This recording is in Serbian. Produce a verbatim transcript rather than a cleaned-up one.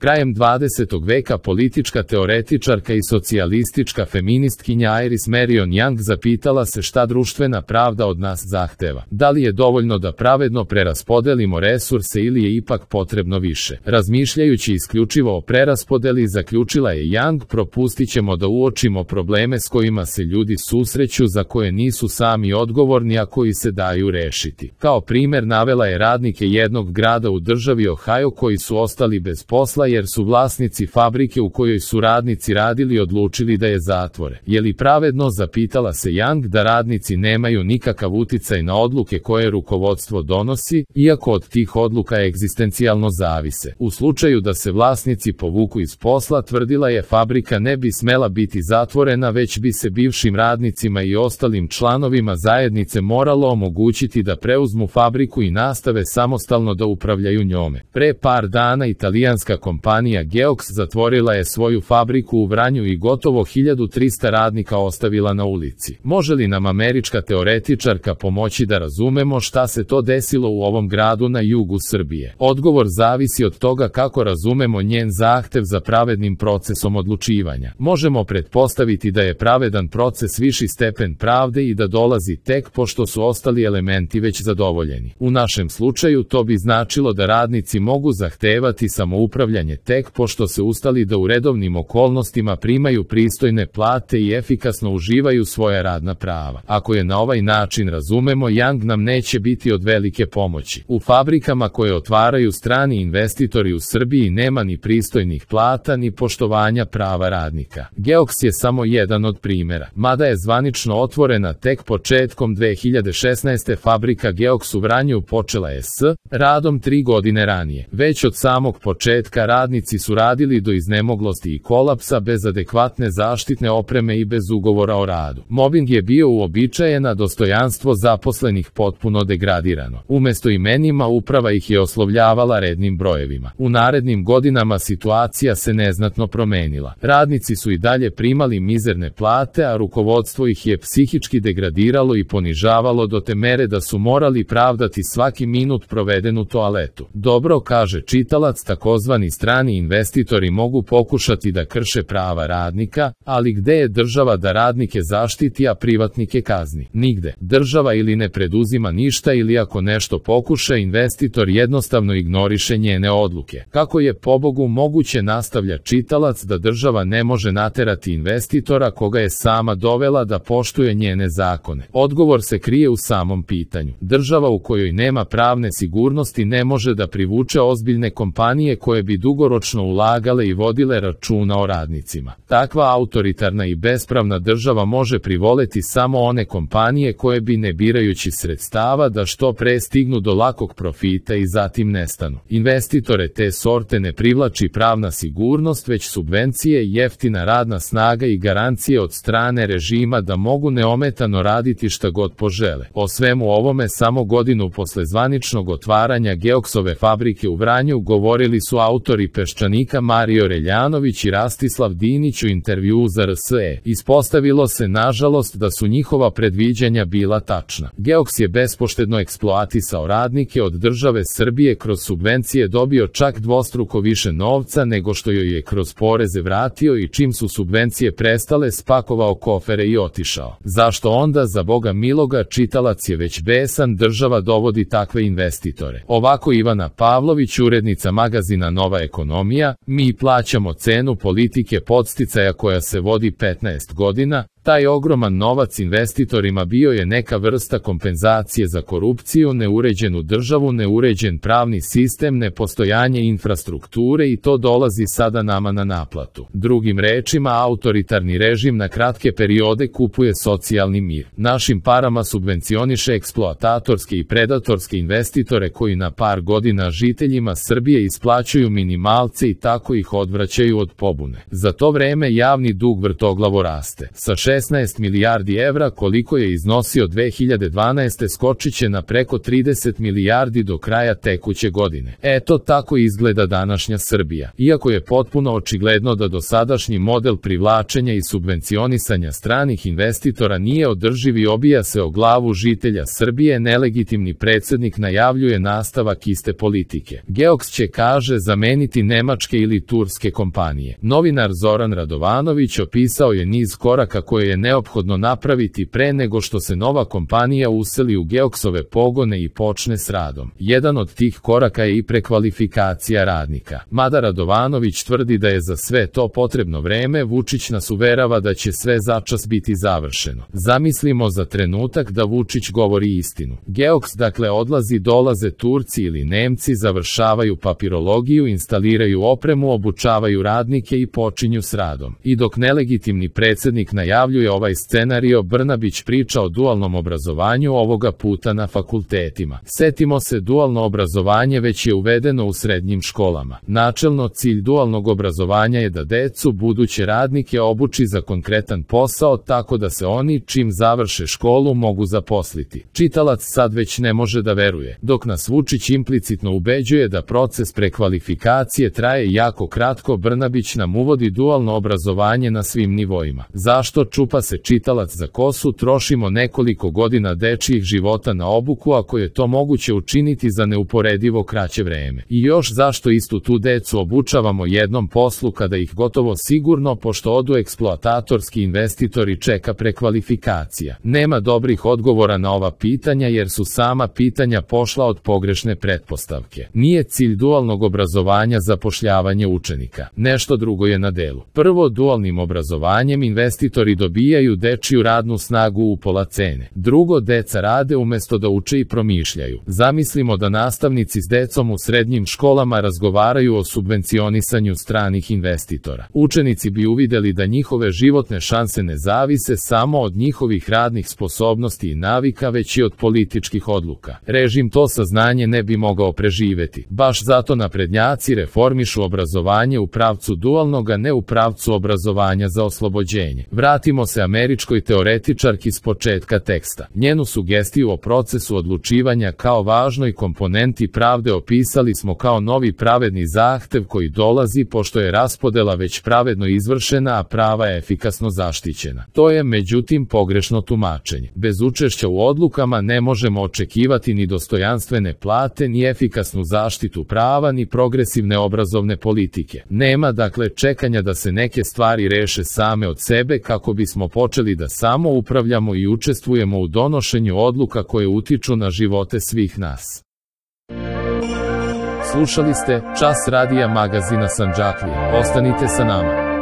Krajem dvadesetog veka politička teoretičarka i socijalistička feministkinja Iris Marion Young zapitala se šta društvena pravda od nas zahteva. Da li je dovoljno da pravedno preraspodelimo resurse ili je ipak potrebno više? Razmišljajući isključivo o preraspodeli, zaključila je Young, propustit ćemo da uočimo probleme s kojima se ljudi susreću, za koje nisu sami odgovorni, a koji se daju rešiti. Kao primer navela je radnike jednog grada u državi Ohio koji su ostali bez posla jer su vlasnici fabrike u kojoj su radnici radili odlučili da je zatvore. Je li pravedno, zapitala se Young, da radnici nemaju nikakav uticaj na odluke koje rukovodstvo donosi, iako od tih odluka egzistencijalno zavise? U slučaju da se vlasnici povuku iz posla, tvrdila je, fabrika ne bi smela biti zatvorena, već bi se bivšim radnicima i ostalim članovima zajednice moralo omogućiti da preuzmu fabriku i nastave samostalno da upravljaju njome. Pre par dana italijanska kompanija Geox zatvorila je svoju fabriku u Vranju i gotovo hiljadu trista radnika ostavila na ulici. Može li nam američka teoretičarka pomoći da razumemo šta se to desilo u ovom gradu na jugu Srbije? Odgovor zavisi od toga kako razumemo njen zahtev za pravednim procesom odlučivanja. Možemo pretpostaviti da je pravedan proces viši stepen pravde i da dolazi tek pošto su ostali elementi već zadovoljeni. U našem slučaju to bi značilo da radnici mogu zahtevati samoupravljanje tek pošto se ustali da u redovnim okolnostima primaju pristojne plate i efikasno uživaju svoja radna prava. Ako je na ovaj način razumemo, Young nam neće biti od velike pomoći. U fabrikama koje otvaraju strani investitori u Srbiji nema ni pristojnih plata ni poštovanja prava radnika. Geox je samo jedan od primjera. Mada je zvanično otvorena tek početkom dve hiljade šesnaeste. fabrika Geox u Vranju počela je s radom tri godine ranije. Već od samog početka radnici su radili do iznemoglosti i kolapsa, bez adekvatne zaštitne opreme i bez ugovora o radu. Mobing je bio uobičajen, a dostojanstvo zaposlenih potpuno degradirano. Umesto imenima, uprava ih je oslovljavala rednim brojevima. U narednim godinama situacija se neznatno promenila. Radnici su i dalje primali mizerne plate, a rukovodstvo ih je psihički degradiralo i ponižavalo do te mere da su morali pravdati svaki minut proveden u toaletu. Dobro, kaže čitalac, takozvani strani investitori mogu pokušati da krše prava radnika, ali gde je država da radnike zaštiti, a privatnike kazni? Nigde. Država ili ne preduzima ništa, ili ako nešto pokuša, investitor jednostavno ignoriše njene odluke. Kako je pobogu moguće, nastavlja čitalac, da država ne može naterati investitora koga je sama dovela da poštuje njene zakone? Odgovor se krije u samom pitanju. Država u kojoj nema pravne sigurnosti ne može da privuče ozbiljne kompanije koje bi dugoročno ulagale i vodile računa o radnicima. Takva autoritarna i bespravna država može privoleti samo one kompanije koje bi, ne birajući sredstava, da što pre stignu do lakog profita i zatim nestanu. Investitore te sorte ne privlači pravna sigurnost, već subvencije, jeftina radna snaga i garancije od strane režima da mogu neometano raditi šta god požele. O svemu ovome samo godinu posle zvaničnog otvaranja Geoxove fabrike u Vranju govorili su autori Peščanika Mario Reljanović i Rastislav Dinić u intervjuu za R S E. Ispostavilo se, nažalost, da su njihova predviđanja bila tačna. Geox je bespoštedno eksploatisao radnike, od države Srbije kroz subvencije dobio čak dvostruko više novca nego što joj je kroz poreze vratio, i čim su subvencije prestale, spakovao kofere i otišao. Zašto onda, za Boga miloga, čitalac je već besan, država dovodi takve investitore? Ovako Ivana Pavlović, urednica magazina Nova ekonomija: mi plaćamo cenu politike podsticaja koja se vodi petnaest godina, taj ogroman novac investitorima bio je neka vrsta kompenzacije za korupciju, neuređenu državu, neuređen pravni sistem, nepostojanje infrastrukture, i to dolazi sada nama na naplatu. Drugim rečima, autoritarni režim na kratke periode kupuje socijalni mir. Našim parama subvencioniše eksploatatorske i predatorske investitore koji na par godina žiteljima Srbije isplaćuju minimalce i tako ih odvraćaju od pobune. Za to vreme javni dug vrtoglavo raste. Sa šesnaest milijardi evra koliko je iznosio dve hiljade dvanaeste skočit će na preko trideset milijardi do kraja tekuće godine. Eto tako izgleda današnja Srbija. Iako je potpuno očigledno da dosadašnji model privlačenja i subvencionisanja stranih investitora nije održiv i obija se o glavu žitelja Srbije, nelegitimni predsjednik najavljuje nastavak iste politike. Geoks će, kaže, zameniti nemačke ili turske kompanije. Novinar Zoran Radovanović opisao je niz koraka koje je neophodno napraviti pre nego što se nova kompanija useli u Geoksove pogone i počne s radom. Jedan od tih koraka je i prekvalifikacija radnika. Mada Radovanović tvrdi da je za sve to potrebno vreme, Vučić nas uverava da će sve začas biti završeno. Zamislimo za trenutak da Vučić govori istinu. Geoks dakle odlazi, dolaze Turci ili Nemci, završavaju papirologiju, instaliraju opremu, obučavaju radnike i počinju s radom. I dok nelegitimni predsjednik najavljuje ovaj scenario, Brnabić priča o dualnom obrazovanju, ovoga puta na fakultetima. Setimo se, dualno obrazovanje već je uvedeno u srednjim školama. Načelno cilj dualnog obrazovanja je da decu, buduće radnike, obuči za konkretan posao tako da se oni, čim završe školu, mogu zaposliti. Čitalac sad već ne može da veruje, dok nas Vučić implicitno ubeđuje da proces prekvalifikacije traje jako kratko. Brnabić nam uvodi dualno obrazovanje na svim nivoima. Zašto, čupa se čitalac za kosu, trošimo nekoliko godina dečijih života na obuku ako je to moguće učiniti za neuporedivo kraće vreme? I još zašto istu tu decu obučavamo jednom poslu kada ih gotovo sigurno, pošto odu eksploatatorski investitori, čeka prekvalifikacija? Nema dobrih odgovora na ova pitanja jer su sama pitanja pošla od pogrešne pretpostavke. Nije cilj dualnog obrazovanja zapošljavanje učenika. Nešto drugo je na delu. Prvo, dualnim obrazovanjem investitori dobijaju dečiju radnu snagu u pola cene. Drugo, deca rade umesto da uče i promišljaju. Zamislimo da nastavnici s decom u srednjim školama razgovaraju o subvencionisanju stranih investitora. Učenici bi uvideli da njihove životne šanse ne zavise samo od njihovih radnih sposobnosti i navika, već i od političkih odluka. Režim to saznanje ne bi mogao preživeti. Baš zato naprednjaci reformišu obrazovanje u pravcu dualnog, a ne u pravcu obrazovanja za oslobođenje. Vratimo se američkoj teoretičarki s početka teksta. Njenu sugestiju o procesu odlučivanja kao važnoj komponenti pravde opisali smo kao novi pravedni zahtev koji dolazi pošto je raspodela već pravedno izvršena, a prava je efikasno zaštićena. To je, međutim, pogrešno tumačenje. Bez učešća u odlukama ne možemo očekivati ni dostojanstvene plate, ni efikasnu zaštitu prava, ni progresivne obrazovne politike. Nema dakle čekanja da se neke stvari reše same od sebe kako bismo počeli da samo upravljamo i učestvujemo u donošenju odluka koje utiču na živote svih nas. Slušali ste Čas radija magazina Sandžaklija. Ostanite sa nama.